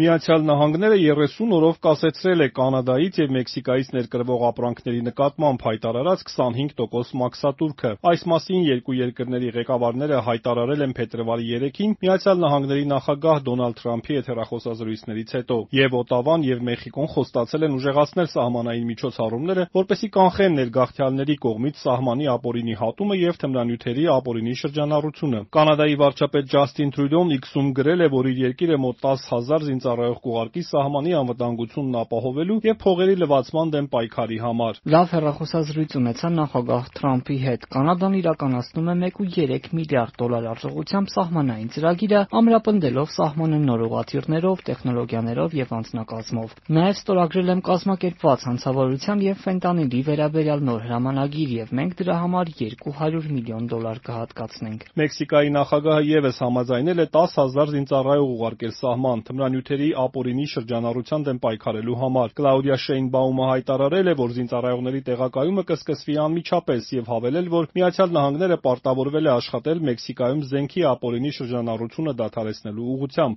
Միացյալ Նահանգները 30 օրով կասեցրել է Կանադայից և Մեքսիկայից ներկրվող ապրանքների նկատմամբ հայտարարած 25% մաքսատուրքը։ Այս մասին երկու երկրների ղեկավարները հայտարարել են փետրվարի 3-ին Միացյալ Նահանգների նախագահ Դոնալդ Թրամփի հետ հեռախոսազրույցներից հետո։ Եվ Օտավան, և Մեխիկոն խոստացել են ուժեղացնել սահմանային միջոցառումները, որպեսզի կանխեն ներգաղթյալների կողմից սահմանի ապօրինի հատումը և թմրանյութերի ապօրինի շրջանառությունը։ Կանադայի վարչապետ Ջասթին Թրյուդոն X-ում գրել է, որ իր երկիրը մոտ 10,000 զինծառայող կուղարկի սահմանի անվտանգությունն ապահովելու և փողերի լվացման դեմ պայքարի համար։ Լավ հեռախոսազրույց ունեցա նախագահ Թրամփի հետ։ Կանադան իրականացնում է $1.3 միլիարդ արժողությամբ սահմանային ծրագիրը, ամրապնդելով սահմանը նոր ուղղաթիռներով, տեխնոլոգիաներով և անձնակազմով։ Նաև ստորագրել եմ կազմակերպված հանցավորության և ֆենտանիլի վերաբերյալ նոր հրամանագիր, և մենք դրա համար $200 միլիոն կհատկացնենք։ Մեքսիկայի նախագահը ևս համաձայնել է 10,000 զինծառայող ուղարկել սահման թմրանյութերի ապօրինի շրջանառության դեմ պայքարելու համար։ Կլաուդիա Շեյնբաումը հայտարարել է, որ զինծառայողների տեղակայումը կսկսվի անմիջապես և հավելել, որ Միացյալ Նահանգները պարտավորվել է աշխատել Մեքսիկայում զենքի ապօրինի շրջանառությունը դադարեցնելու ուղղությամբ։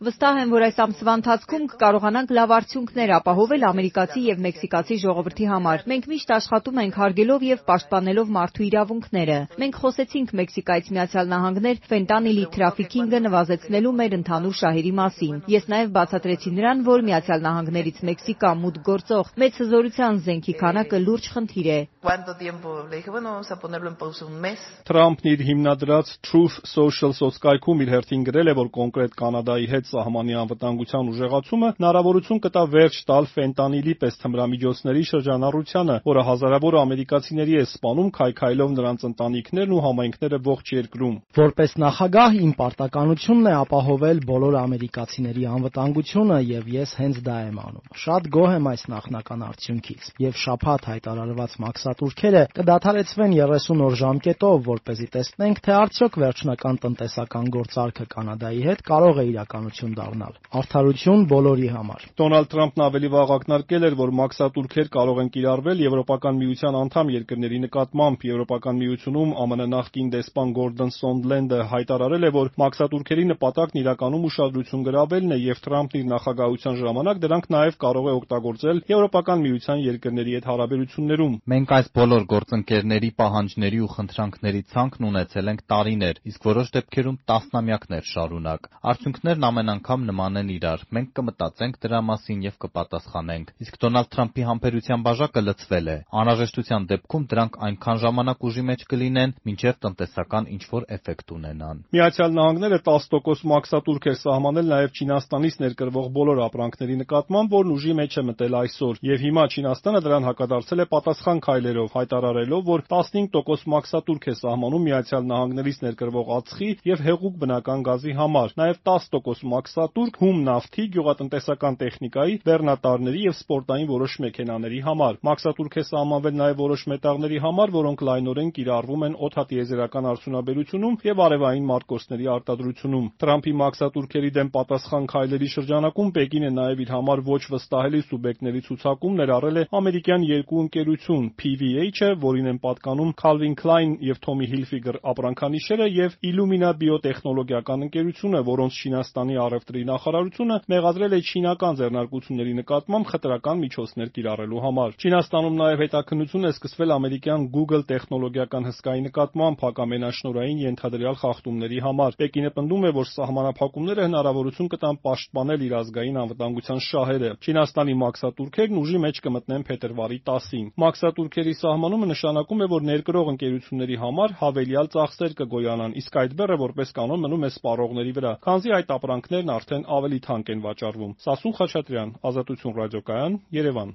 Վստահ եմ, որ այս ամսվա ընթացքում կկարողանանք լավ արդյունքներ ապահովել ամերիկացի և մեքսիկացի ժողովրդի համար։ Մենք միշտ աշխատում ենք հարգելով և պաշտպանելով մարդու իրավունքները։ Մենք խոսեցինք Մեքսիկայից Միացյալ Նահանգներ ֆենտանիլի թրաֆիքինգը նվազեցնելու մեր ընդհանուր շահերի մասին։ Ես նաև բացատրեցի նրան, որ Միացյալ Նահանգներից Մեքսիկա մուտք գործող մեծ հզորության զենքի քանակը լուրջ խնդիր է։ Թրամփն իր հիմնադրած Truth Social սոցկայքում իր հերթին գրել է, որ կոնկրետ Կանադայի հետ սահմանի անվտանգության ուժեղացումը հնարավորություն կտա վերջ տալ ֆենտանիլի պես թմրամիջոցների շրջանառությանը, որը հազարավոր ամերիկացիների է սպանում, քայքայելով նրանց ընտանիքներն ու համայնքները ողջ երկրում։ Որպես նախագահ իմ պարտականությունն է ապահովել բոլոր ամերիկացիների անվտանգությունը, և ես հենց դա եմ անում։ Շատ գոհ եմ այս նախնական արդյունքից, և շաբաթ հայտարարված մաքսատուրքերը կդադարեցվեն 30 օր ժամկետով, որպեսզի տեսնենք, թե արդյոք վերջնական տնտեսական գործարքը Կանադայի հետ կարող է իրականություն դառնալ։ Արդարություն բոլորի համար։ Դոնալդ Թրամփն ավելի վաղ ակնարկել էր, որ մաքսատուրքեր կարող են կիրառվել Եվրոպական միության անդամ երկրների նկատմամբ։ Եվրոպական միությունում ԱՄՆ նախկին դեսպան Գորդոն Սոնդլենդը հայտարարել է, որ մաքսատուրքերի նպատակն իրականում ուշադրություն գրավելն է, և Թրամփն իր նախագահության ժամանակ դրանք նաև կարող է օգտագործել Եվրոպական միության երկրների հետ հարաբերություններում։ Մենք այս բոլոր գործընկերների պահանջների ու խնդրանքների ցանկն ունեցել ենք տարիներ, իսկ որոշ դեպքերում տասնամյակներ շարունակ։ Արդյունքներն ամեն անգամ նման են իրար։ Մենք կմտածենք դրա մասին և կպատասխանենք։ Իսկ Դոնալդ Թրամփի համբերության բաժակը լցվել է։ Անհրաժեշտության դեպքում դրանք այնքան ժամանակ ուժի մեջ կլինեն, մինչև տնտեսական ինչ-որ էֆեկտ ունենան։ Միացյալ Նահանգները 10% մաքսատուրք էր սահմանել նաև Չինաստանից ներկրվող բոլոր ապրանքների նկատմամբ, որն ուժի մեջ է մտել այսօր, և հիմա Չինաստանը դրան հակադարձել է պատասխան քայլերով, հայտարարելով, որ 15% մաքսատուրք է սահմանում Միացյալ Նահանգներից ներկրվող ածխի և հեղուկ բնական գազի համար, նաև 10% մաքսատուրք հում նավթի, գյուղատնտեսական տեխնիկայի, բեռնատարների և սպորտային որոշ մեքենաների համար։ Մաքսատուրք է սահմանվել նաև որոշ մետաղների համար, որոնք լայնորեն կիրառվում են օդատիեզերական արդյունաբերությունում և արևային մարտկոցների արտադրությունում։ Թրամփի մաքսատուրքերի դեմ պատասխան քայլերի շրջանակում Պեկինը նաև իր համար ոչ վստահելի սուբյեկտների ցուցակում ներառել է ամերիկյան երկու ընկերություն՝ PVH-ը, որին են պատկանում Calvin Klein և Tommy Hilfiger ապրանքանիշերը, և Illumina բիոտեխնոլոգիական ընկերությունը, որոնց Չինաստանի առևտրի նախարարությունը մեղադրել է չինական ձեռնարկությունների նկատմամբ խտրական միջոցներ կիրառելու համար։ Չինաստանում նաև հետաքննություն է սկսվել ամերիկյան Google տեխնոլոգիական հսկայի նկատմամբ հակամենաշնորհային ենթադրյալ խախտումների համար։ Պեկինը պնդում է, որ սահմանափակումները հնարավորություն կտան պաշտպանել իր ազգային անվտանգության շահերը։ Չինաստանի մաքսատուրքերն ուժի մեջ կմտնեն փետրվարի 10-ին։ Մաքսատուրքերի սահմանումը նշանակում է, որ ներկրող ընկերությունների համար հավելյալ ծախսեր կգոյանան, իսկ այդ բեռը որպես կանոն մնում է սպառողների վրա, քանզի այդ ապրանքներն արդեն ավելի թանկ են վաճառվում։ Սասուն Խաչատրյան, Ազատություն ռադիոկայան, Երևան։